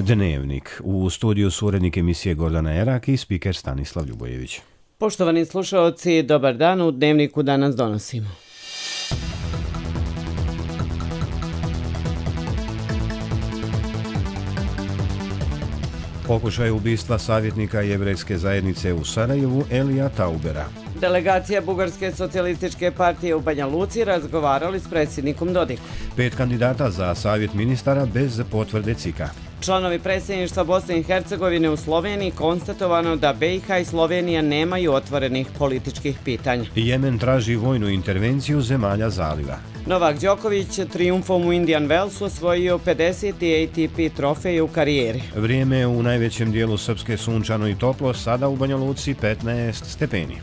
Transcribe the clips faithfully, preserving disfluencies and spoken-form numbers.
Dnevnik. U studiju su urednik emisije Gordana Erak i spiker Stanislav Ljubojević. Poštovani slušaoci, dobar dan. U Dnevniku danas donosimo. Pokušaj ubistva savjetnika jevrejske zajednice u Sarajevu Elija Taubera. Delegacija Bugarske socijalističke partije u Banja Luci razgovarali s predsjednikom Dodikom. Pet kandidata za savjet ministara bez potvrde C I K-a. Članovi predsjedništva Bosne i Hercegovine u Sloveniji konstatovano da B i H i Slovenija nemaju otvorenih političkih pitanja. Jemen traži vojnu intervenciju zemalja zaliva. Novak Đoković trijumfom u Indian Wellsu osvojio pedeseti A T P trofej u karijeri. Vrijeme u najvećem dijelu Srpske sunčano i toplo, sada u Banja Luci petnaest stepeni.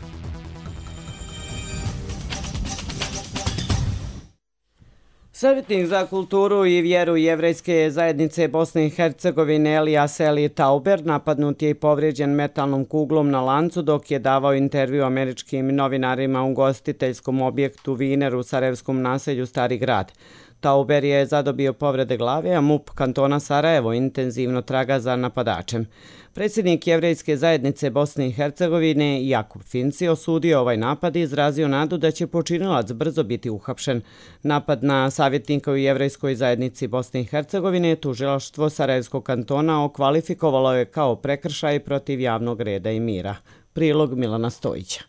Savjetnik za kulturu i vjeru jevrejske zajednice Bosne i Hercegovine Elijas Eli Tauber napadnut je i povrijeđen metalnom kuglom na lancu dok je davao intervju američkim novinarima u gostiteljskom objektu Viner u sarajevskom naselju Stari grad. Tauber je zadobio povrede glave, a M U P kantona Sarajevo intenzivno traga za napadačem. Predsjednik jevrejske zajednice Bosne i Hercegovine Jakub Finci osudio ovaj napad i izrazio nadu da će počinilac brzo biti uhapšen. Napad na savjetnika u jevrejskoj zajednici Bosne i Hercegovine tužilaštvo Sarajevskog kantona okvalifikovalo je kao prekršaj protiv javnog reda i mira. Prilog Milana Stojića.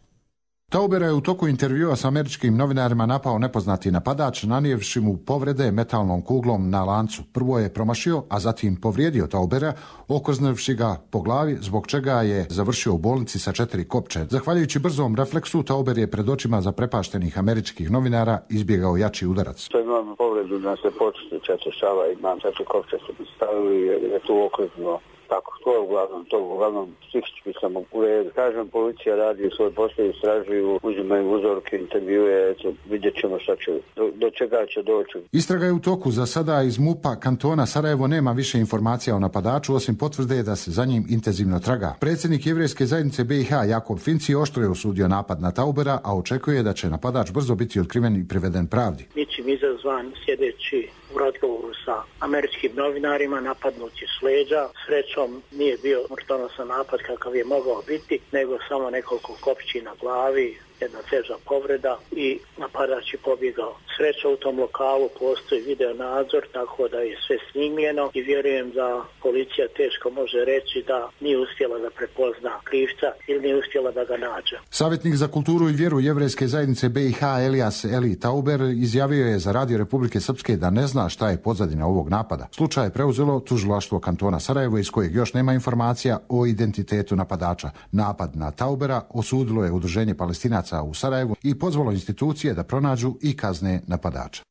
Taubera je u toku intervjua s američkim novinarima napao nepoznati napadač, nanijevši mu povrede metalnom kuglom na lancu. Prvo je promašio, a zatim povrijedio Taubera, okrznevši ga po glavi, zbog čega je završio u bolnici sa četiri kopče. Zahvaljujući brzom refleksu, Tauber je pred očima zaprepaštenih američkih novinara izbjegao jači udarac. To imam povredu da se početi četiri šava i imam četiri kopče se postavili jer je tu okrzno. Tako, to je uglavnom, to uglavnom psihički sam u redu. Kažem, policija radi svoj posao, istražuju, uzimaju uzorke, intervjue, eto, vidjet ćemo šta će, do, do čega će doći. Istraga je u toku. Za sada iz M U P-a kantona Sarajevo nema više informacija o napadaču, osim potvrde da se za njim intenzivno traga. Predsjednik jevrejske zajednice B i H Jakub Finci oštro je osudio napad na Taubera, a očekuje da će napadač brzo biti otkriven i priveden pravdi. Ničim izazvan sjedeći u razgovoru sa američkim novinarima, napadnuti s leđa. Srećom nije bio smrtonosan napad kakav je mogao biti, nego samo nekoliko kopći na glavi, jedna teža povreda i napadač je pobjegao. Sreća u tom lokalu, postoji video nadzor, tako da je sve snimljeno i vjerujem da policija teško može reći da nije uspjela da prepozna krivca ili nije uspjela da ga nađe. Savjetnik za kulturu i vjeru jevrejske zajednice B i H Elijas Eli Tauber izjavio je za Radio Republike Srpske da ne zna šta je pozadina ovog napada. Slučaj je preuzelo tužilaštvo kantona Sarajevo, iz kojeg još nema informacija o identitetu napadača. Napad na Taubera osudilo je Udruženje Palestinaca u Sarajevu i pozvalo institucije da pronađu i kazne napadača.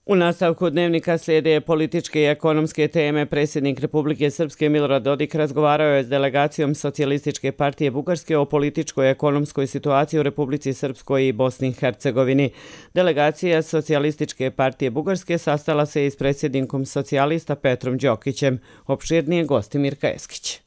U nastavku Dnevnika slijede političke i ekonomske teme. Predsjednik Republike Srpske Milorad Dodik razgovarao je s delegacijom Socijalističke partije Bugarske o političkoj i ekonomskoj situaciji u Republici Srpskoj i Bosni i Hercegovini. Delegacija Socijalističke partije Bugarske sastala se i s predsjednikom socijalista Petrom Đokićem. Opširnije gosti Mirka Eskić.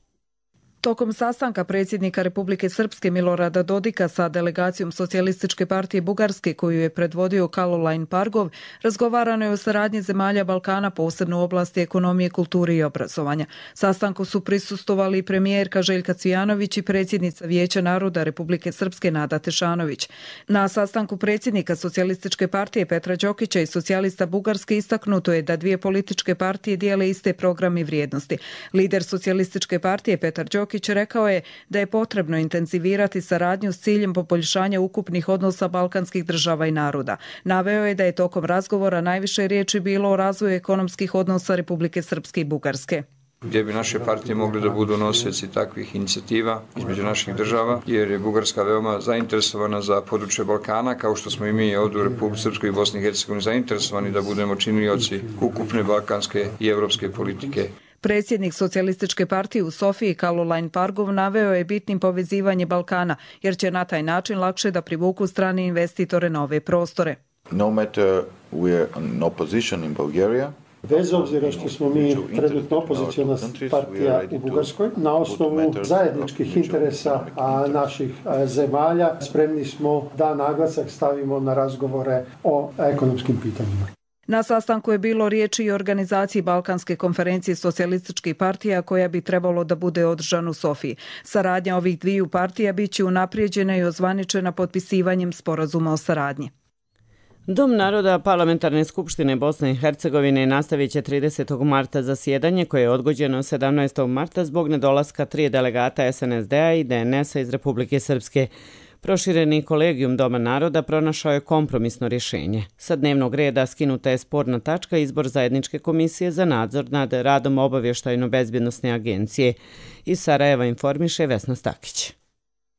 Tokom sastanka predsjednika Republike Srpske Milorada Dodika sa delegacijom Socijalističke partije Bugarske, koju je predvodio Kaloline Pargov, razgovarano je o saradnji zemalja Balkana, posebno u oblasti ekonomije, kulture i obrazovanja. Sastanku su prisustvovali premijerka Željka Cvijanović i predsjednica Vijeća naroda Republike Srpske Nada Tešanović. Na sastanku predsjednika Socijalističke partije Petra Đokića i socijalista Bugarske istaknuto je da dvije političke partije dijele iste programe i vrijednosti. Lider Socijalističke partije Petar Đokić rekao je da je potrebno intenzivirati saradnju s ciljem poboljšanja ukupnih odnosa balkanskih država i naroda. Naveo je da je tokom razgovora najviše riječi bilo o razvoju ekonomskih odnosa Republike Srpske i Bugarske, gdje bi naše partije mogli da budu nosioci takvih inicijativa između naših država, jer je Bugarska veoma zainteresovana za područje Balkana, kao što smo i mi ovdje u Republici Srpskoj i Bosni i Hercegovini zainteresovani da budemo činioci ukupne balkanske i evropske politike. Predsjednik Socijalističke partije u Sofiji Kaloline Pargov naveo je bitnim povezivanje Balkana, jer će na taj način lakše da privuku strane investitore na ove prostore. No matter we are in opposition in Bulgaria, bez obzira što smo mi trenutno opoziciona partija u Bugarskoj, na osnovu zajedničkih interesa naših zemalja spremni smo da naglasak stavimo na razgovore o ekonomskim pitanjima. Na sastanku je bilo riječi i o organizaciji Balkanske konferencije socijalističkih partija koja bi trebalo da bude održana u Sofiji. Saradnja ovih dviju partija bit će unaprijeđena i ozvaničena potpisivanjem sporazuma o saradnji. Dom naroda Parlamentarne skupštine Bosne i Hercegovine nastavit će tridesetog marta zasjedanje koje je odgođeno sedamnaestog marta zbog nedolaska tri delegata es en es de a i de en es a iz Republike Srpske. Prošireni kolegijum Doma naroda pronašao je kompromisno rješenje. Sa dnevnog reda skinuta je sporna tačka izbor zajedničke komisije za nadzor nad radom obavještajno-bezbjednosne agencije. Iz Sarajeva informiše Vesna Stakić.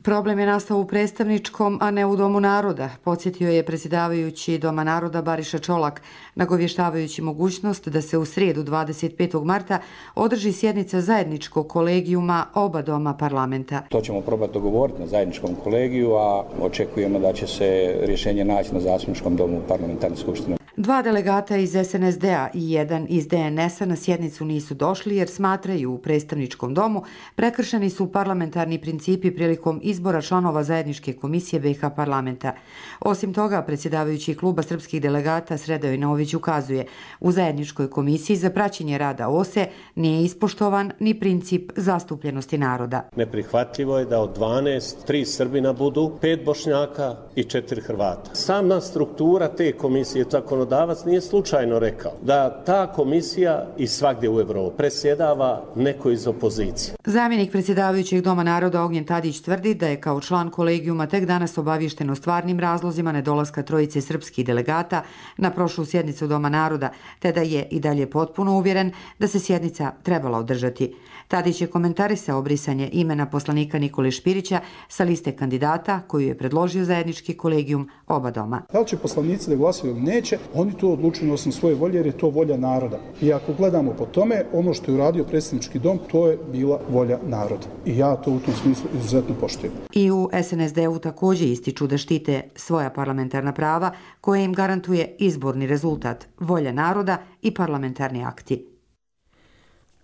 Problem je nastao u predstavničkom, a ne u Domu naroda, podsjetio je predsjedavajući Doma naroda Bariša Čolak, nagovještavajući mogućnost da se u srijedu dvadeset petog marta održi sjednica zajedničkog kolegijuma oba doma parlamenta. To ćemo probati dogovoriti na zajedničkom kolegiju, a očekujemo da će se rješenje naći na zastupničkom domu parlamentarne skupštine. Dva delegata iz es en es de a i jedan iz de en es a na sjednicu nisu došli jer smatraju u predstavničkom domu prekršeni su parlamentarni principi prilikom izbora članova zajedničke komisije be i ha parlamenta. Osim toga, predsjedavajući kluba srpskih delegata Sredoje Nović ukazuje, u zajedničkoj komisiji za praćenje rada o es e nije ispoštovan ni princip zastupljenosti naroda. Neprihvatljivo je da od dvanaest, tri Srbina budu, pet Bošnjaka i četiri Hrvata. Sama struktura te komisije, tako zakonodavac nije slučajno rekao da ta komisija i svagdje u Evropi predsjedava neko iz opozicije. Zamjenik predsjedavajućeg Doma naroda Ognjen Tadić tvrdi da je kao član kolegijuma tek danas obaviješten o stvarnim razlozima nedolaska trojice srpskih delegata na prošlu sjednicu Doma naroda, te da je i dalje potpuno uvjeren da se sjednica trebala održati. Tadić je komentarisao brisanje imena poslanika Nikole Špirića sa liste kandidata koju je predložio zajednički kolegijum oba doma. Da li će poslanici da glasaju ili neće, oni to odlučuju na osnovu svoje volje jer je to volja naroda. I ako gledamo po tome, ono što je uradio predsjednički dom, to je bila volja naroda. I ja to u tom smislu izuzetno poštujem. I u es en es de u također ističu da štite svoja parlamentarna prava koje im garantuje izborni rezultat, volja naroda i parlamentarni akti.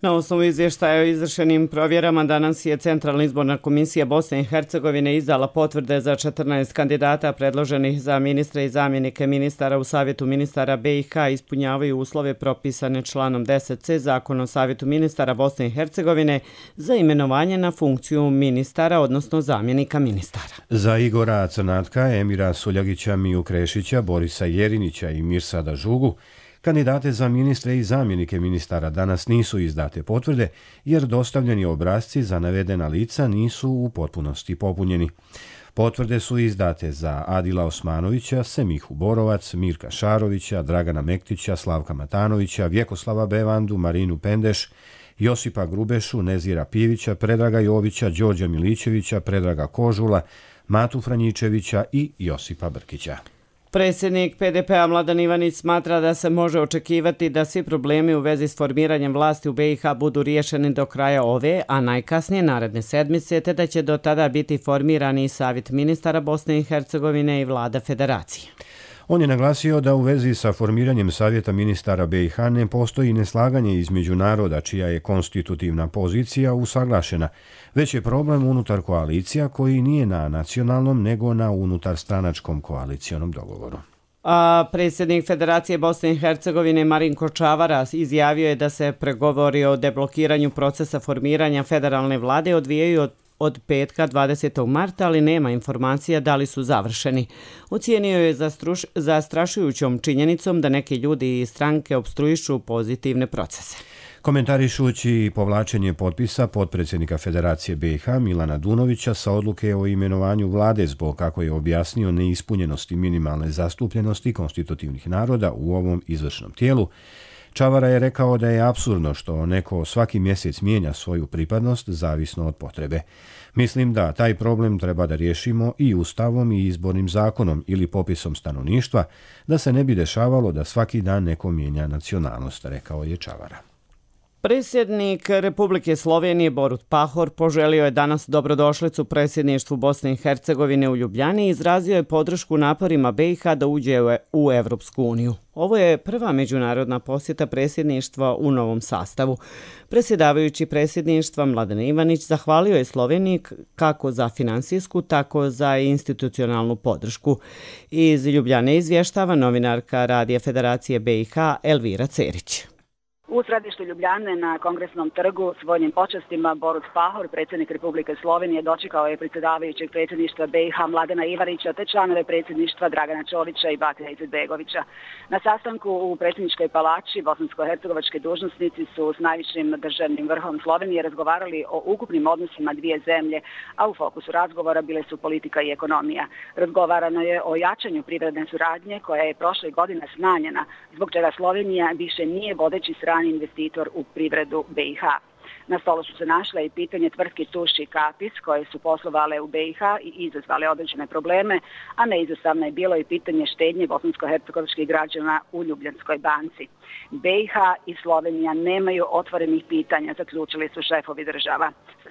Na osnovu izvještaja o izvršenim provjerama danas je Centralna izborna komisija Bosne i Hercegovine izdala potvrde za četrnaest kandidata predloženih za ministre i zamjenike ministara u Savjetu ministara be i ha ispunjavaju uslove propisane članom deset ce Zakona o Savjetu ministara Bosne i Hercegovine za imenovanje na funkciju ministara, odnosno zamjenika ministara. Za Igora Crnatka, Emira Suljagića, Miju Krešića, Borisa Jerinića i Mirsada Žugu kandidate za ministre i zamjenike ministara danas nisu izdate potvrde jer dostavljeni obrasci za navedena lica nisu u potpunosti popunjeni. Potvrde su izdate za Adila Osmanovića, Semihu Borovac, Mirka Šarovića, Dragana Mektića, Slavka Matanovića, Vjekoslava Bevandu, Marinu Pendeš, Josipa Grubešu, Nezira Pivića, Predraga Jovića, Đorđa Milićevića, Predraga Kožula, Matu Franjičevića i Josipa Brkića. Predsjednik pe de pe a Mladen Ivanić smatra da se može očekivati da svi problemi u vezi s formiranjem vlasti u be i ha budu riješeni do kraja ove, a najkasnije naredne sedmice, te da će do tada biti formirani i Savjet ministara Bosne i Hercegovine i vlada federacije. On je naglasio da u vezi sa formiranjem Savjeta ministara be i ha ne postoji neslaganje između naroda čija je konstitutivna pozicija usaglašena, već je problem unutar koalicija koji nije na nacionalnom nego na unutar stranačkom koalicijonom dogovoru. A predsjednik Federacije Bosne i Hercegovine Marinko Čavara izjavio je da se pregovori o deblokiranju procesa formiranja federalne vlade odvijaju od od petka dvadesetog marta, ali nema informacija da li su završeni. Ocijenio je zastrašujućom činjenicom da neki ljudi i stranke opstruišu pozitivne procese. Komentarišući povlačenje potpisa potpredsjednika Federacije be i ha Milana Dunovića sa odluke o imenovanju vlade zbog, kako je objasnio, neispunjenosti minimalne zastupljenosti konstitutivnih naroda u ovom izvršnom tijelu, Čavara je rekao da je apsurdno što neko svaki mjesec mijenja svoju pripadnost zavisno od potrebe. Mislim da taj problem treba da riješimo i ustavom i izbornim zakonom ili popisom stanovništva, da se ne bi dešavalo da svaki dan neko mijenja nacionalnost, rekao je Čavara. Predsjednik Republike Slovenije Borut Pahor poželio je danas dobrodošlicu predsjedništvu Bosne i Hercegovine u Ljubljani i izrazio je podršku naporima B i H da uđe u Evropsku uniju. Ovo je prva međunarodna posjeta predsjedništva u novom sastavu. Predsjedavajući predsjedništva Mladen Ivanić zahvalio je Sloveniji kako za finansijsku, tako za institucionalnu podršku. Iz Ljubljane izvještava novinarka Radija Federacije B i H Elvira Cerić. U središtu Ljubljane na Kongresnom trgu s vojnim počastima Borut Pahor, predsjednik Republike Slovenije, dočekao je predsjedavajućeg predsjedništva B i H Mladena Ivanića te članove predsjedništva Dragana Čolića i Bakira Izetbegovića. Na sastanku u predsjedničkoj palači bosansko-hercegovački dužnosnici su s najvišim državnim vrhom Slovenije razgovarali o ukupnim odnosima dvije zemlje, a u fokusu razgovora bile su politika i ekonomija. Razgovarano je o jačanju privredne suradnje koja je prošle godine smanjena, zbog čega Slovenija više nije vodeći strani investitor u privredu B i H. Na stolu su se našle i pitanje tvrtki Tuši i Kapis koje su poslovale u B i H i izazvale određene probleme, a neizostavno je bilo i pitanje štednje bosansko-hercegovačkih građana u Ljubljanskoj banci. B i H i Slovenija nemaju otvorenih pitanja, zaključili su šefovi država.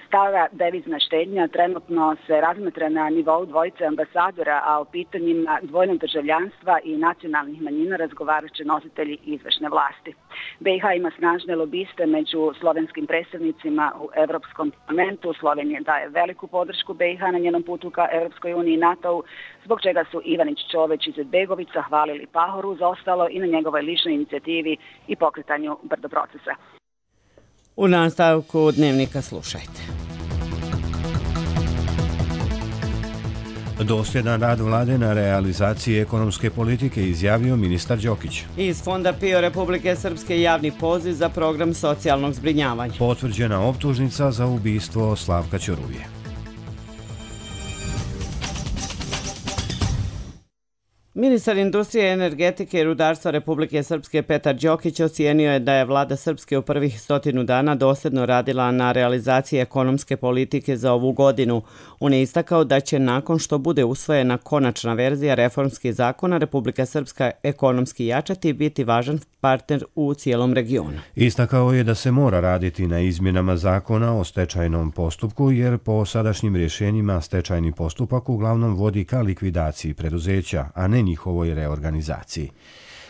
Stara devizna štednja trenutno se razmatra na nivou dvojice ambasadora, a o pitanjima dvojnog državljanstva i nacionalnih manjina razgovarat će nositelji izvršne vlasti. B i H ima snažne lobiste među slovenskim predstavnicima u Evropskom parlamentu. Slovenija daje veliku podršku B i H na njenom putu ka Evropskoj uniji i NATO-u, zbog čega su Ivanić, Čović i Izetbegović zahvalili Pahoru za ostalo i na njegovoj ličnoj inicijativi i pokretanju brdo procesa. U nastavku Dnevnika slušajte. Dosljedan rad vlade na realizaciji ekonomske politike izjavio ministar Đokić. Iz Fonda PIO Republike Srpske javni poziv za program socijalnog zbrinjavanja. Potvrđena optužnica za ubistvo Slavka Ćoruvije. Ministar industrije, energetike i rudarstva Republike Srpske Petar Đokić ocijenio je da je vlada Srpske u prvih stotinu dana dosljedno radila na realizaciji ekonomske politike za ovu godinu. On je istakao da će nakon što bude usvojena konačna verzija reformskih zakona Republika Srpska ekonomski jačati i biti važan partner u cijelom regionu. Istakao je da se mora raditi na izmjenama zakona o stečajnom postupku jer po sadašnjim rješenjima stečajni postupak uglavnom vodi ka likvidaciji preduzeća, a ne njihovoj reorganizaciji.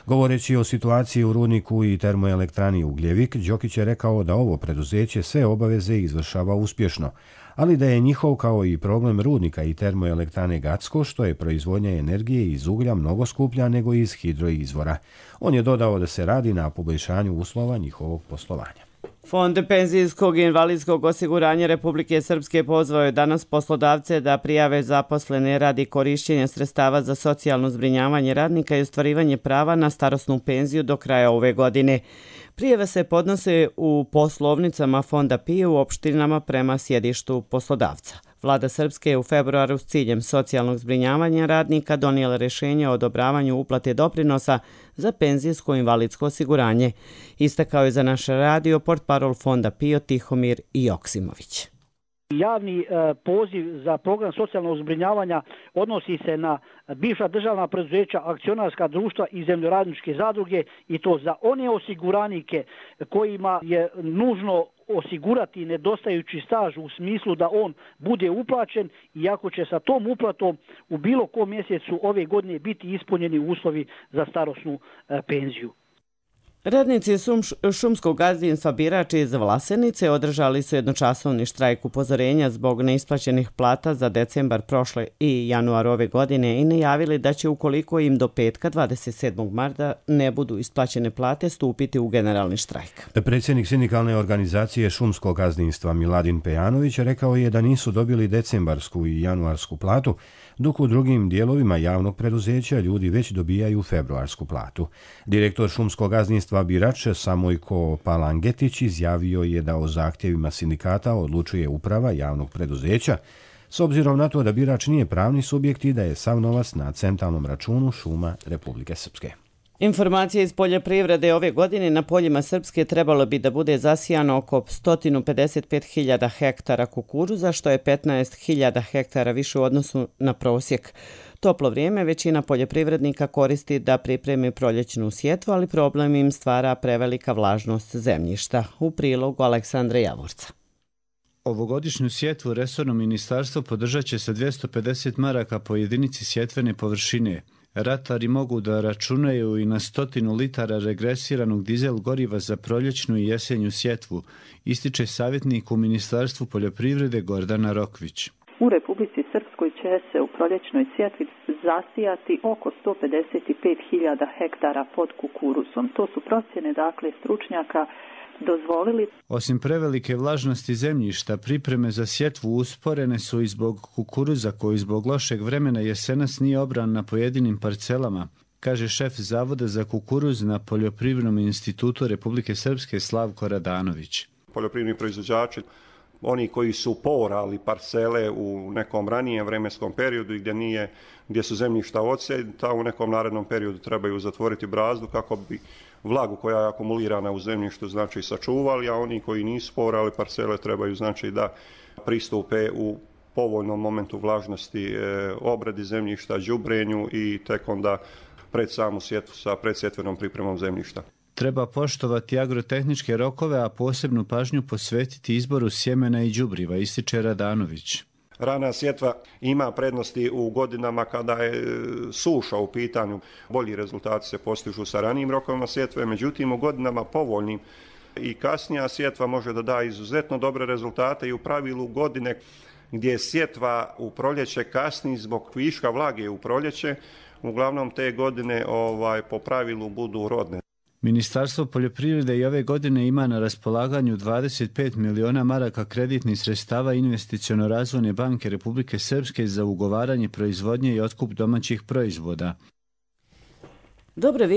Govoreći o situaciji u rudniku i termoelektrani Ugljevik, Đokić je rekao da ovo preduzeće sve obaveze izvršava uspješno, ali da je njihov kao i problem rudnika i termoelektrane Gacko, što je proizvodnja energije iz uglja mnogo skuplja nego iz hidroizvora. On je dodao da se radi na poboljšanju uslova njihovog poslovanja. Fond penzijskog i invalidskog osiguranja Republike Srpske pozvao je danas poslodavce da prijave zaposlene radi korišćenja sredstava za socijalno zbrinjavanje radnika i ostvarivanje prava na starosnu penziju do kraja ove godine. Prijave se podnose u poslovnicama Fonda PIO u opštinama prema sjedištu poslodavca. Vlada Srpske je u februaru s ciljem socijalnog zbrinjavanja radnika donijela rješenje o odobravanju uplate doprinosa za penzijsko i invalidsko osiguranje. Istakao je za naš radio portparol Fonda PIO Tihomir Joksimović. Javni poziv za program socijalnog zbrinjavanja odnosi se na bivša državna preduzeća, akcionarska društva i zemljoradničke zadruge i to za one osiguranike kojima je nužno osigurati nedostajući staž u smislu da on bude uplaćen i ako će sa tom uplatom u bilo kom mjesecu ove godine biti ispunjeni uslovi za starosnu penziju. Radnici šumskog gazdinstva Birač iz Vlasenice održali su jednočasovni štrajk upozorenja zbog neisplaćenih plata za decembar prošle i januar ove godine i najavili da će ukoliko im do petka dvadeset sedmog marta ne budu isplaćene plate stupiti u generalni štrajk. Predsjednik sindikalne organizacije šumskog gazdinstva Miladin Pejanović rekao je da nisu dobili decembarsku i januarsku platu, dok u drugim dijelovima javnog preduzeća ljudi već dobijaju februarsku platu. Direktor šumskog gazdinstva Birač Samojko Palangetić izjavio je da o zahtjevima sindikata odlučuje uprava javnog preduzeća, s obzirom na to da Birač nije pravni subjekt i da je sav novac na centralnom računu šuma Republike Srpske. Informacije iz poljoprivrede ove godine na poljima Srpske trebalo bi da bude zasijano oko sto pedeset pet hiljada hektara kukuruza, što je petnaest hiljada hektara više u odnosu na prosjek. Toplo vrijeme većina poljoprivrednika koristi da pripremi proljećnu sjetvu, ali problem im stvara prevelika vlažnost zemljišta. U prilogu Aleksandra Javorca. Ovogodišnju sjetvu resorno ministarstvo podržat će sa dvjesto pedeset maraka po jedinici sjetvene površine. Ratari mogu da računaju i na stotinu litara regresiranog dizel goriva za proljećnu i jesenju sjetvu, ističe savjetnik u Ministarstvu poljoprivrede Gordana Rokvić. U Republici Srpskoj će se u proljećnoj sjetvi zasijati oko sto pedeset pet hiljada hektara pod kukuruzom. To su procjene, dakle, stručnjaka dozvolili. Osim prevelike vlažnosti zemljišta, pripreme za sjetvu usporene su i zbog kukuruza koji zbog lošeg vremena jesenas nije obran na pojedinim parcelama, kaže šef Zavoda za kukuruz na Poljoprivrednom institutu Republike Srpske Slavko Radanović. Poljoprivredni proizvođači, oni koji su poorali parcele u nekom ranijem vremenskom periodu i gdje, nije, gdje su zemljišta odsjeta, u nekom narednom periodu trebaju zatvoriti brazdu kako bi vlagu koja je akumulirana u zemljištu znači sačuvali, a oni koji nisu poorali parcele trebaju znači da pristupe u povoljnom momentu vlažnosti e, obradi zemljišta, đubrenju i tek onda pred samu sjetvu sa predsjetvenom pripremom zemljišta. Treba poštovati agrotehničke rokove, a posebnu pažnju posvetiti izboru sjemena i đubriva, ističe Radanović. Rana sjetva ima prednosti u godinama kada je suša u pitanju. Bolji rezultati se postižu sa ranijim rokovima sjetve, međutim u godinama povoljnim i kasnija sjetva može da da izuzetno dobre rezultate i u pravilu godine gdje je sjetva u proljeće kasni zbog viška vlage u proljeće, uglavnom te godine ovaj, po pravilu budu rodne. Ministarstvo poljoprivrede i ove godine ima na raspolaganju dvadeset pet miliona maraka kreditnih sredstava Investiciono-razvojne banke Republike Srpske za ugovaranje proizvodnje i otkup domaćih proizvoda. Dobre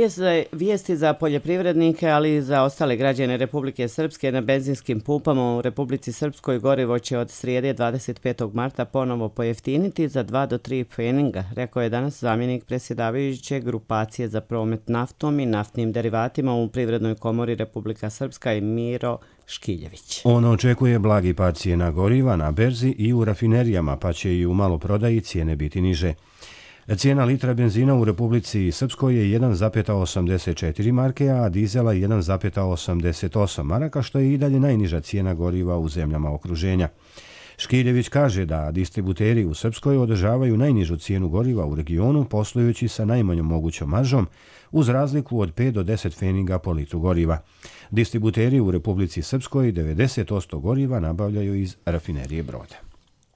vijesti za poljoprivrednike, ali i za ostale građane Republike Srpske. Na benzinskim pumpama u Republici Srpskoj gorivo će od srijede dvadeset petog marta ponovo pojeftiniti za dva do tri pfeninga, rekao je danas zamjenik predsjedavajuće grupacije za promet naftom i naftnim derivatima u Privrednoj komori Republika Srpska i Miro Škiljević. On očekuje blagi pad cijena goriva na berzi i u rafinerijama, pa će i u maloprodaji cijene biti niže. Cijena litra benzina u Republici Srpskoj je jedan zarez osamdeset četiri marke, a dizela jedan zarez osamdeset osam maraka, što je i dalje najniža cijena goriva u zemljama okruženja. Škiljević kaže da distributeri u Srpskoj održavaju najnižu cijenu goriva u regionu, poslujući sa najmanjom mogućom maržom, uz razliku od pet do deset pfeninga po litru goriva. Distributeri u Republici Srpskoj devedeset posto goriva nabavljaju iz rafinerije Broda.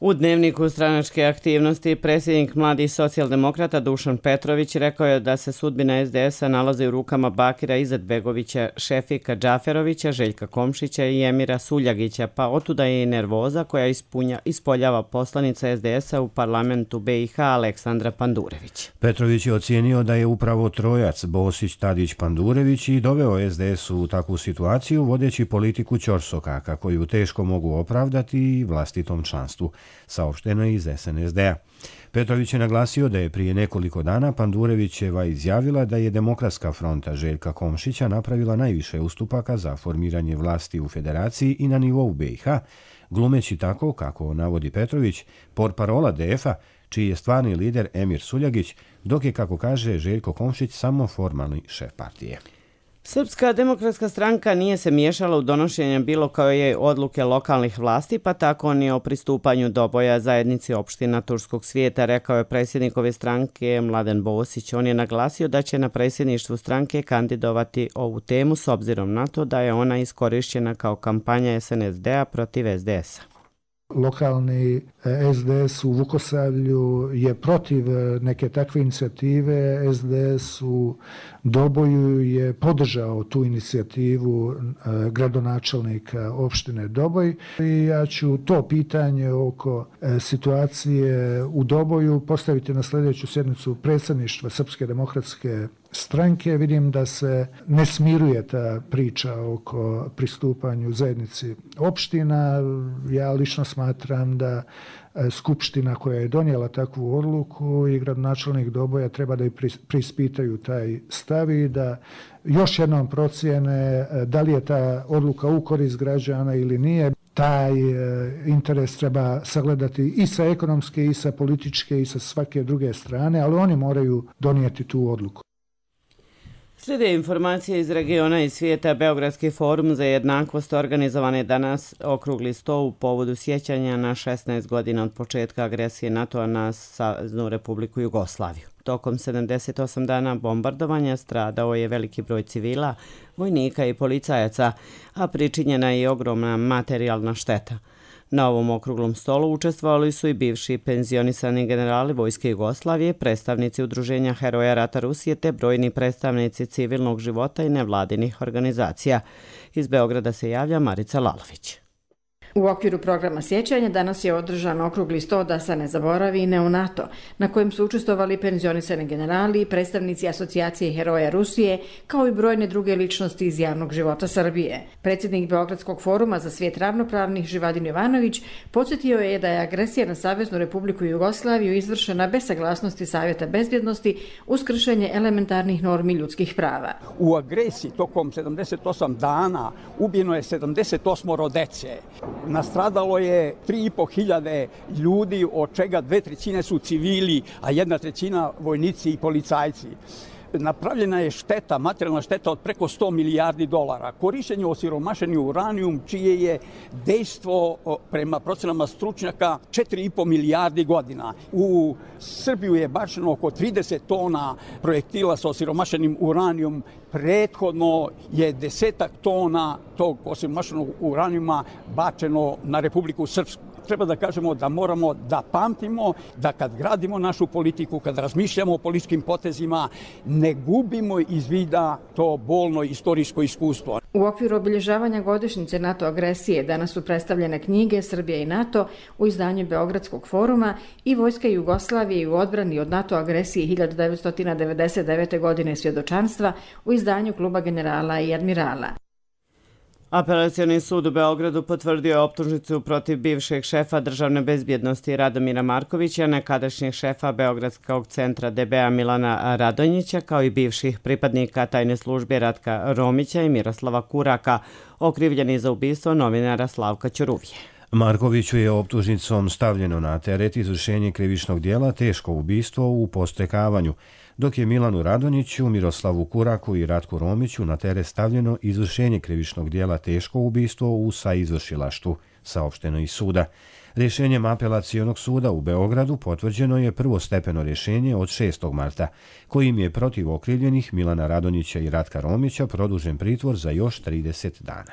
U dnevniku stranačke aktivnosti predsjednik Mladih socijaldemokrata Dušan Petrović rekao je da se sudbina es de es-a nalazi u rukama Bakira Izetbegovića, Šefika Džaferovića, Željka Komšića i Emira Suljagića, pa otuda je i nervoza koja ispunja, ispoljava poslanica es de es-a u parlamentu be i ha Aleksandra Pandurević. Petrović je ocijenio da je upravo trojac Bosić, Tadić, Pandurević i doveo es de es u takvu situaciju vodeći politiku ćorsokaka koju teško mogu opravdati i vlastitom članstvu, saopšteno je iz es en es de-a. Petrović je naglasio da je prije nekoliko dana Pandurevićeva izjavila da je Demokratska fronta Željka Komšića napravila najviše ustupaka za formiranje vlasti u federaciji i na nivou be i ha, glumeći tako, kako navodi Petrović, portparola de ef-a, čiji je stvarni lider Emir Suljagić, dok je, kako kaže Željko Komšić, samo formalni šef partije. Srpska demokratska stranka nije se miješala u donošenje bilo koje odluke lokalnih vlasti, pa tako ni o pristupanju Doboja zajednici opština Turskog svijeta, rekao je predsjednik ove stranke Mladen Bosić. On je naglasio da će na predsjedništvu stranke kandidovati ovu temu s obzirom na to da je ona iskorišćena kao kampanja es en es de-a protiv es de es-a. Lokalni es de es u Vukosavlju je protiv neke takve inicijative. es de es u Doboju je podržao tu inicijativu gradonačelnika opštine Doboj. I ja ću to pitanje oko situacije u Doboju postaviti na sljedeću sjednicu predsjedništva Srpske demokratske stranke. Vidim da se ne smiruje ta priča oko pristupanju zajednici opština. Ja lično smatram da Skupština koja je donijela takvu odluku i gradonačelnik Doboja treba da i preispitaju taj stav i da još jednom procijene da li je ta odluka u korist građana ili nije. Taj interes treba sagledati i sa ekonomske, i sa političke, i sa svake druge strane, ali oni moraju donijeti tu odluku. Slijede informacije iz regiona i svijeta. Beogradski forum za jednakost organizovan je danas okrugli sto u povodu sjećanja na šesnaest godina od početka agresije NATO-a na Saveznu Republiku Jugoslaviju. Tokom sedamdeset osam dana bombardovanja stradao je veliki broj civila, vojnika i policajaca, a pričinjena je i ogromna materijalna šteta. Na ovom okruglom stolu učestvovali su i bivši penzionisani generali Vojske Jugoslavije, predstavnici Udruženja Heroja rata Rusije te brojni predstavnici civilnog života i nevladinih organizacija. Iz Beograda se javlja Marica Lalović. U okviru programa sjećanja danas je održan okrugli sto da se ne zaboravi i neonato, na kojem su učestvovali penzionisani generali i predstavnici Asocijacije Heroja Rusije, kao i brojne druge ličnosti iz javnog života Srbije. Predsjednik Beogradskog foruma za svijet ravnopravnih Živadin Jovanović podsjetio je da je agresija na Saveznu Republiku Jugoslaviju izvršena bez saglasnosti Savjeta bezbjednosti uz kršenje elementarnih normi ljudskih prava. U agresiji tokom sedamdeset osam dana ubijeno je sedamdeset osam dece. Nastradalo je tri i po hiljade ljudi, od čega dve trećine su civili, a jedna trećina vojnici i policajci. Napravljena je šteta, materijalna šteta od preko sto milijardi dolara. Korištenje osiromašeni uranijum, čije je dejstvo prema procenama stručnjaka četiri i po milijardi godina. U Srbiju je bačeno oko trideset tona projektila sa osiromašenim uranijum. Prethodno je desetak tona tog osiromašenog uranijuma bačeno na Republiku Srpsku. Treba da kažemo da moramo da pamtimo da kad gradimo našu politiku, kad razmišljamo o političkim potezima, ne gubimo iz vida to bolno istorijsko iskustvo. U okviru obilježavanja godišnjice NATO agresije danas su predstavljene knjige Srbija i NATO u izdanju Beogradskog foruma i Vojska Jugoslavije u odbrani od NATO agresije hiljadu devetsto devedeset devete. godine svjedočanstva u izdanju Kluba generala i admirala. Apelacioni sud u Beogradu potvrdio je optužnicu protiv bivšeg šefa državne bezbjednosti Radomira Markovića, nekadašnjeg šefa Beogradskog centra D B A Milana Radonjića, kao i bivših pripadnika tajne službe Ratka Romića i Miroslava Kuraka, okrivljeni za ubistvo novinara Slavka Ćuruvije. Markoviću je optužnicom stavljeno na teret izvršenje krivičnog dijela teško ubistvo u postrekavanju, dok je Milanu Radonjiću, Miroslavu Kuraku i Ratku Romiću na teret stavljeno izvršenje krivičnog dijela teško ubistvo u saizvršilaštvu, saopšteno iz suda. Rješenjem apelacionog suda u Beogradu potvrđeno je prvostepeno rješenje od šestog marta, kojim je protiv okrivljenih Milana Radonjića i Ratka Romića produžen pritvor za još trideset dana.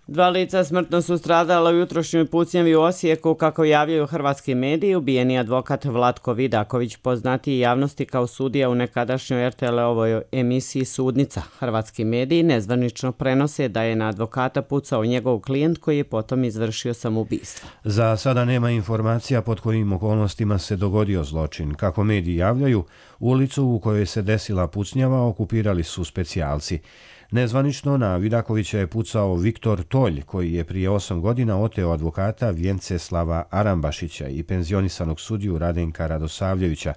Dva lica smrtno su stradala u jutrošnjoj pucnjavi u Osijeku, kako javljaju hrvatski mediji. Ubijeni advokat Vlatko Vidaković, poznatiji javnosti kao sudija u nekadašnjoj R T L-ovoj emisiji Sudnica. Hrvatski mediji nezvanično prenose da je na advokata pucao njegov klijent koji je potom izvršio samoubistvo. Za sada nema informacija pod kojim okolnostima se dogodio zločin. Kako mediji javljaju, ulicu u kojoj se desila pucnjava okupirali su specijalci. Nezvanično na Vidakovića je pucao Viktor Tolj, koji je prije osam godina oteo advokata Vjenceslava Arambašića i penzionisanog sudiju Radenka Radosavljevića.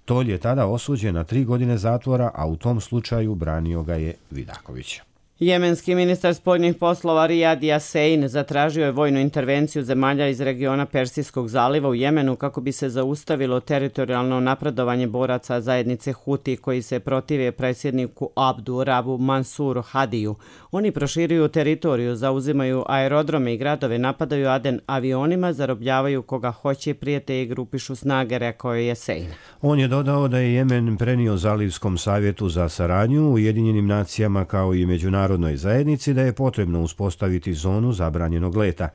Tolj je tada osuđen na tri godine zatvora, a u tom slučaju branio ga je Vidaković. Jemenski ministar spoljnih poslova Rijad Jasein zatražio je vojnu intervenciju zemalja iz regiona Persijskog zaliva u Jemenu kako bi se zaustavilo teritorijalno napredovanje boraca zajednice Huti koji se protive predsjedniku Abdu Rabu Mansuru Hadiju. Oni proširuju teritoriju, zauzimaju aerodrome i gradove, napadaju Aden avionima, zarobljavaju koga hoće, prijete i grupišu snage, rekao je Jasein. On je dodao da je Jemen prenio Zalivskom savjetu za saradnju, Ujedinjenim nacijama kao i međunarodnom Narodnoj zajednici da je potrebno uspostaviti zonu zabranjenog leta.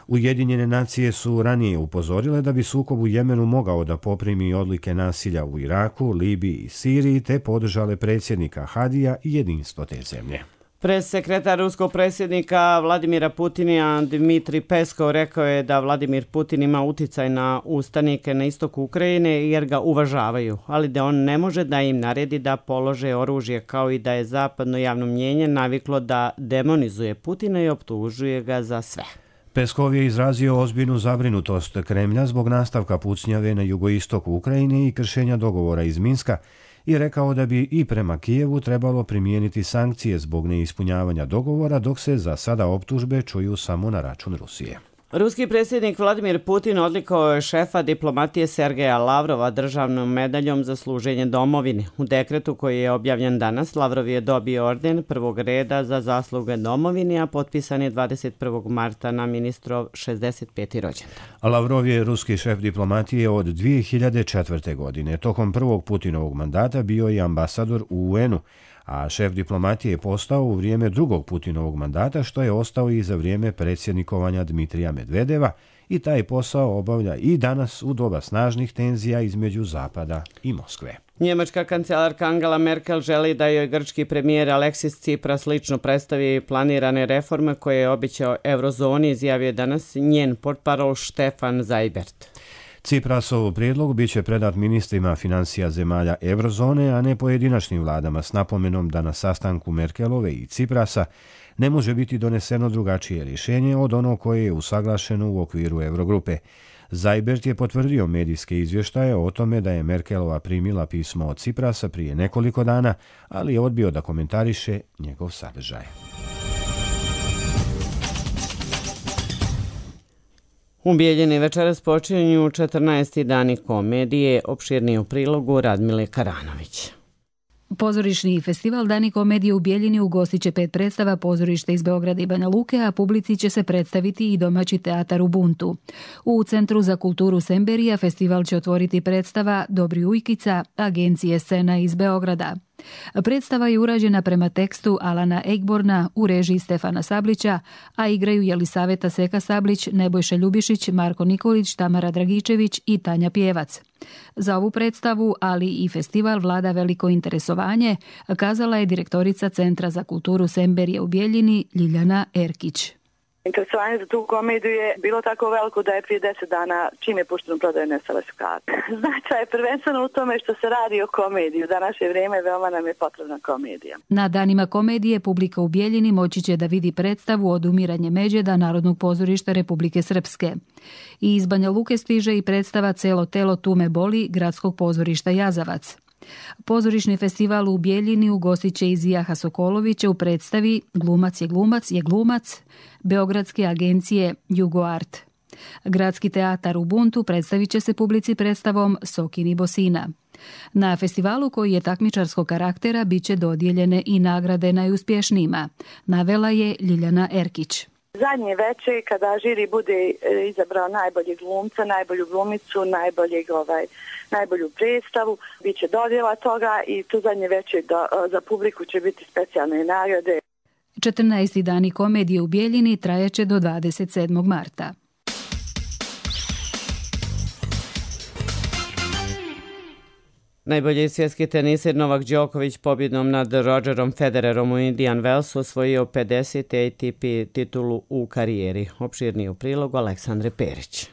Ujedinjene nacije su ranije upozorile da bi sukob u Jemenu mogao da poprimi odlike nasilja u Iraku, Libiji i Siriji te podržale predsjednika Hadija i jedinstvo te zemlje. Pressekretar ruskog predsjednika Vladimira Putina Dmitrij Peskov rekao je da Vladimir Putin ima uticaj na ustanike na istoku Ukrajine jer ga uvažavaju, ali da on ne može da im naredi da polože oružje, kao i da je zapadno javno mnjenje naviklo da demonizuje Putina i optužuje ga za sve. Peskov je izrazio ozbiljnu zabrinutost Kremlja zbog nastavka pucnjave na jugoistoku Ukrajine i kršenja dogovora iz Minska i rekao da bi i prema Kijevu trebalo primijeniti sankcije zbog neispunjavanja dogovora, dok se za sada optužbe čuju samo na račun Rusije. Ruski predsjednik Vladimir Putin odlikovao je šefa diplomatije Sergeja Lavrova državnom medaljom za služenje domovini. U dekretu koji je objavljen danas, Lavrov je dobio orden prvog reda za zasluge domovini, a potpisan je dvadeset prvog marta na ministrov šezdeset peti rođendan. Lavrov je ruski šef diplomatije od dvije hiljade četvrte. godine. Tokom prvog Putinovog mandata bio je ambasador u U N-u, a šef diplomatije je postao u vrijeme drugog Putinovog mandata, što je ostao i za vrijeme predsjednikovanja Dmitrija Medvedeva, i taj posao obavlja i danas u doba snažnih tenzija između Zapada i Moskve. Njemačka kancelarka Angela Merkel želi da joj grčki premijer Aleksis Tsipras lično predstavi planirane reforme koje je obećao Eurozoni, izjavio danas njen portparol Stefan Seibert. Ciprasov prijedlog bit će predat ministrima financija zemalja Eurozone, a ne pojedinačnim vladama, s napomenom da na sastanku Merkelove i Ciprasa ne može biti doneseno drugačije rješenje od onog koje je usaglašeno u okviru Eurogrupe. Seibert je potvrdio medijske izvještaje o tome da je Merkelova primila pismo od Ciprasa prije nekoliko dana, ali je odbio da komentariše njegov sadržaj. U Bijeljini večeras počinju četrnaesti dani komedije, opširniji u prilogu Radmile Karanović. Pozorišni festival Dani komedije u Bijeljini ugostit će pet predstava pozorišta iz Beograda i Banja Luke, a publici će se predstaviti i domaći teatar Ubuntu. U Centru za kulturu Semberija festival će otvoriti predstava Dobri ujkica agencije Scena iz Beograda. Predstava je urađena prema tekstu Alana Egborna u režiji Stefana Sablića, a igraju Jelisaveta Seka Sablić, Nebojša Ljubišić, Marko Nikolić, Tamara Dragičević i Tanja Pjevac. Za ovu predstavu, ali i festival vlada veliko interesovanje, kazala je direktorica Centra za kulturu Semberije u Bijeljini Ljiljana Erkić. Interesovanje za tu komediju je bilo tako veliko da je prije deset dana, čim je pušteno prodaje, nestale su karte. Značaj je prvenstveno u tome što se radi o komediji. U današnje vrijeme veoma nam je potrebna komedija. Na danima komedije publika u Bijeljini moći će da vidi predstavu Odumiranje Međeda Narodnog pozorišta Republike Srpske. I iz Banja Luke stiže i predstava Celo telo tu me boli Gradskog pozorišta Jazavac. Pozorišni festival u Bijeljini ugostit će Zijaha Sokolovića u predstavi Glumac je glumac je glumac Beogradske agencije Jugoart. Gradski teatar Ubuntu predstavit će se publici predstavom Sokini Bosina. Na festivalu, koji je takmičarskog karaktera, bit će dodijeljene i nagrade najuspješnijima, navela je Ljiljana Erkić. Zadnje veče, kada žiri bude izabrao najboljeg glumca, najbolju glumicu, najboljeg, ovaj, najbolju predstavu, bit će dodjela toga i tu zadnje veče do, za publiku će biti specijalne nagrade. četrnaesti dani komedije u Bijeljini trajaće do dvadeset sedmog marta. Najbolji svjetski teniser Novak Đoković pobjedom nad Rogerom Federerom u Indian Wellsu osvojio pedeseti A T P titulu u karijeri. Opširniji u prilogu Aleksandre Perić.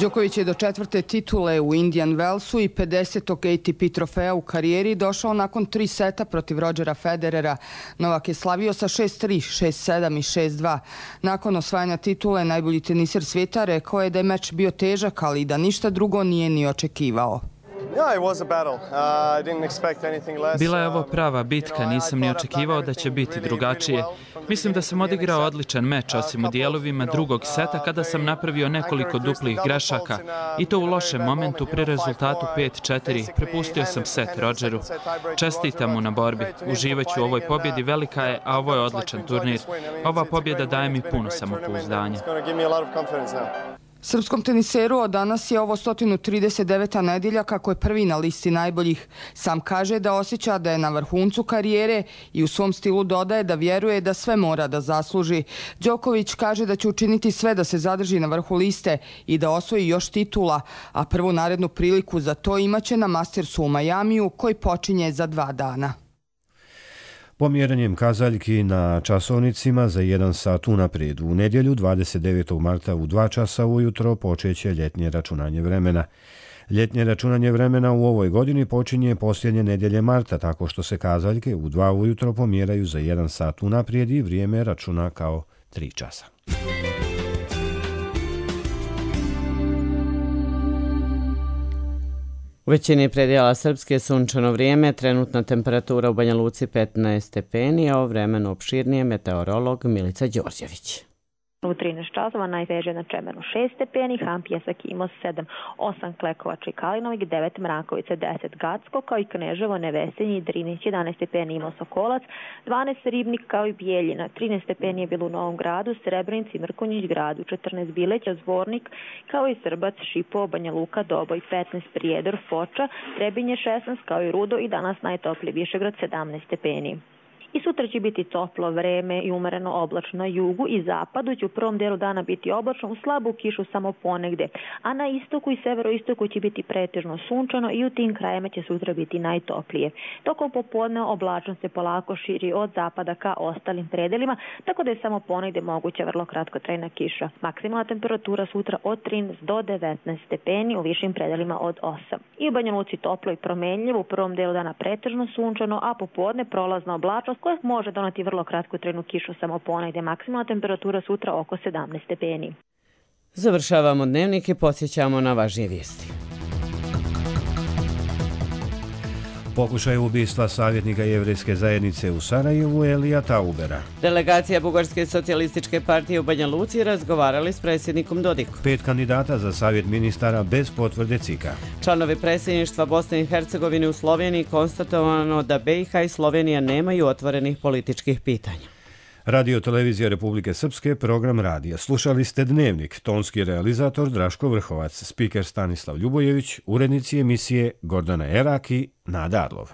Đoković je do četvrte titule u Indian Wellsu i pedesetog A T P trofeja u karijeri došao nakon tri seta protiv Rogera Federera. Novak je slavio sa šest tri, šest sedam i šest dva. Nakon osvajanja titule, najbolji teniser svijeta rekao je da je meč bio težak, ali da ništa drugo nije ni očekivao. Bila je ovo prava bitka, nisam ni očekivao da će biti drugačije. Mislim da sam odigrao odličan meč, osim u dijelovima drugog seta kada sam napravio nekoliko duplih grešaka i to u lošem momentu pri rezultatu pet četiri. Prepustio sam set Rogeru. Čestitam mu na borbi. Uživaću u ovoj pobjedi, velika je, a ovo je odličan turnir. Ova pobjeda daje mi puno samopouzdanja. Srpskom teniseru od danas je ovo sto trideset deveta nedjelja kako je prvi na listi najboljih. Sam kaže da osjeća da je na vrhuncu karijere i u svom stilu dodaje da vjeruje da sve mora da zasluži. Đoković kaže da će učiniti sve da se zadrži na vrhu liste i da osvoji još titula, a prvu narednu priliku za to imaće na Mastersu u Majamiju koji počinje za dva dana. Pomjeranjem kazaljki na časovnicima za jedan sat unaprijed u nedjelju dvadeset devetog marta u dva časa ujutro počeće ljetnje računanje vremena. Ljetnje računanje vremena u ovoj godini počinje posljednje nedjelje marta tako što se kazaljke u dva ujutro pomjeraju za jedan sat unaprijed i vrijeme računa kao tri časa. U većini predjela Srpske sunčano vrijeme, trenutna temperatura u Banja Luci petnaest stepeni, a o vremenu opširnije meteorolog Milica Đorđević. U trinaest časova najteže na Čemenu šest stepeni, Hampijesak Imos sedam, osam Klekovača i Kalinovik, devet Mrakovica, deset Gacko, kao i Kneževo, Nevesenje i Drinić, jedanaest stepeni Imos Sokolac, dvanaest Ribnik kao i Bijeljina, trinaest stepeni je bilo u Novom Gradu, Srebrenici, Mrkonjić Gradu, četrnaest Bileća, Zvornik, kao i Srbac, Šipo, Banja Luka, Doboj, petnaest Prijedor, Foča, Trebinje šesnaest kao i Rudo i danas najtopliji Višegrad sedamnaest stepeni. I sutra će biti toplo vreme i umereno oblačno na jugu i zapadu, će u prvom delu dana biti oblačno, u slabu kišu samo ponegde, a na istoku i severoistoku će biti pretežno sunčano i u tim krajima će sutra biti najtoplije. Tokom popodne oblačnost se polako širi od zapada ka ostalim predelima, tako da je samo ponegde moguća vrlo kratkotrajna kiša. Maksimalna temperatura sutra od trinaest do devetnaest stepeni, u višim predelima od osam. I u Banja Luci toplo i promenljivo, u prvom delu dana pretežno sunčano, a popodne prolazna oblačnost koja može doneti vrlo kratkotrajnu kišu samo ponegde. Maksimalna temperatura sutra oko sedamnaest stepeni. Završavamo dnevnik i podsjećamo na važnije vijesti. Pokušaj ubistva savjetnika jevrejske zajednice u Sarajevu Elija Taubera. Delegacija Bugarske socijalističke partije u Banja Luci razgovarali s predsjednikom Dodikom. Pet kandidata za savjet ministara bez potvrde C I K-a. Članovi predsjedništva Bosne i Hercegovine u Sloveniji konstatovano da B i H i Slovenija nemaju otvorenih političkih pitanja. Radio Televizija Republike Srpske, program radija. Slušali ste Dnevnik, tonski realizator Draško Vrhovac, spiker Stanislav Ljubojević, urednici emisije Gordana Erak i Nada Arlov.